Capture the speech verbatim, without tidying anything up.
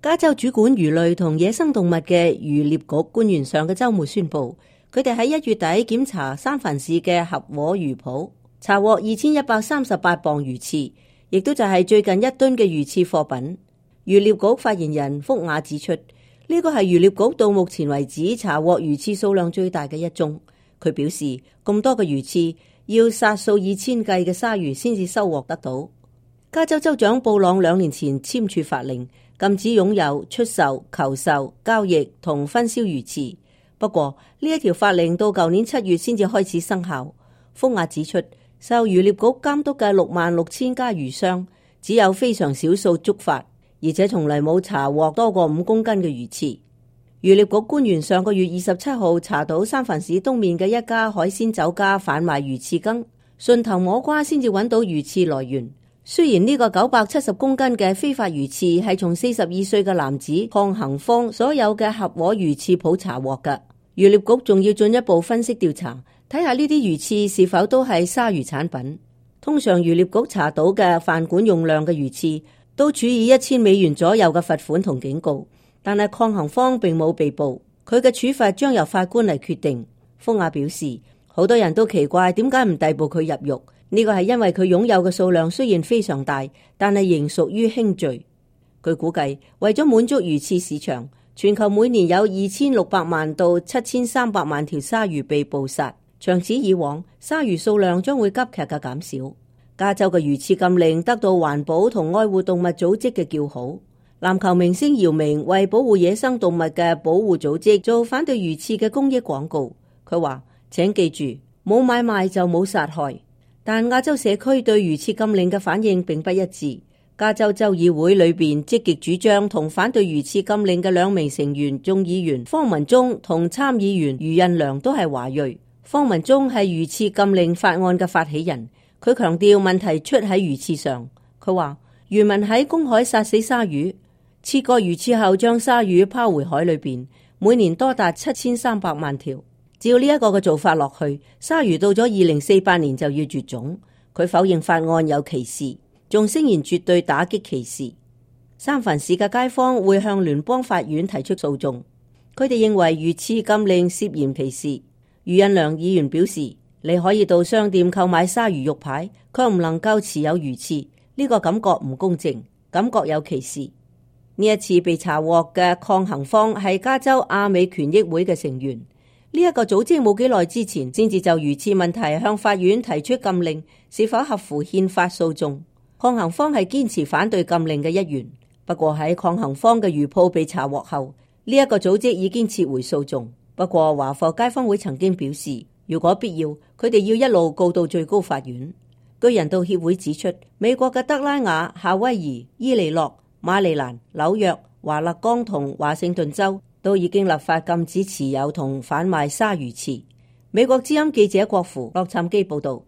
加州主管魚類同野生動物嘅漁獵局官員上個週末宣布，佢哋喺一月底檢查三藩市嘅合和魚鋪，查獲二千一百三十八磅魚翅，亦都就係最近一噸嘅魚翅貨品。漁獵局發言人福雅指出，呢個係漁獵局到目前為止查獲魚翅數量最大嘅一宗。佢表示，咁多嘅魚翅要殺數以千計嘅鯊魚先至收穫得到。加州州長布朗兩年前簽署法令，禁止擁有、出售、求售、交易同分銷魚翅。不過呢一條法令到舊年七月先至開始生效。福雅指出，受漁獵局監督嘅六萬六千家魚商，只有非常少數觸發，而且從來冇查獲多過五公斤嘅魚翅。漁獵局官員上個月二十七號查到三藩市東面嘅一家海鮮酒家販賣魚翅羹，順藤摸瓜先至揾到魚翅來源。雖然呢個九百七十公斤嘅非法魚翅係從四十二歲嘅男子鄺恒芳所有嘅合和魚翅鋪查獲嘅，漁獵局仲要進一步分析調查，睇下呢啲魚翅是否都係鯊魚產品。通常漁獵局查到嘅販管用量嘅魚翅都處以一千美元左右嘅罰款同警告，但係鄺恒芳並冇被捕，佢嘅處罰將由法官嚟決定。福雅表示，好多人都奇怪點解唔逮捕佢入獄。呢個係因為佢擁有嘅數量雖然非常大，但係仍屬於輕罪。據估計，為咗滿足魚翅市場，全球每年有二千六百萬到七千三百萬條鯊魚被捕殺。長此以往，鯊魚數量將會急劇嘅減少。加州嘅魚翅禁令得到環保同愛護動物組織嘅叫好。籃球明星姚明為保護野生動物嘅保護組織做反對魚翅嘅公益廣告。佢話：請記住，冇買賣就冇殺害。但亞洲社區對魚翅禁令嘅反應並不一致。加州州議會裏邊積極主張同反對魚翅禁令嘅兩名成員眾議員方文忠同參議員余印良都係華裔。方文忠係魚翅禁令法案嘅發起人，佢強調問題出喺魚翅上。佢話漁民喺公海殺死鯊魚，切割魚翅後將鯊魚拋回海裏邊，每年多達七千三百萬條。照呢一個嘅做法落去，鯊魚到咗二零四八年就要絕種。佢否認法案有歧視，仲聲言絕對打擊歧視。三藩市嘅街坊會向聯邦法院提出訴訟，佢哋認為魚翅禁令涉嫌歧視。余印良議員表示，你可以到商店購買鯊魚肉排，卻唔能夠持有魚翅，呢個感覺唔公正，感覺有歧視。呢一次被查獲嘅鄺恒芳係加州亞美權益會嘅成員。呢一個組織冇幾耐之前先至就魚翅問題向法院提出禁令是否合乎憲法訴訟。鄺恒芳係堅持反對禁令嘅一員，不過喺鄺恒芳嘅魚鋪被查獲後，呢一個組織已經撤回訴訟。不過華埠街坊會曾經表示，如果必要，佢哋要一路告到最高法院。據人道協會指出，美國嘅德拉瓦、夏威夷、伊利諾、馬里蘭、紐約、華勒岡同華盛頓州都已經立法禁止持有同販賣鯊魚翅。美國之音記者郭芙洛杉磯報道。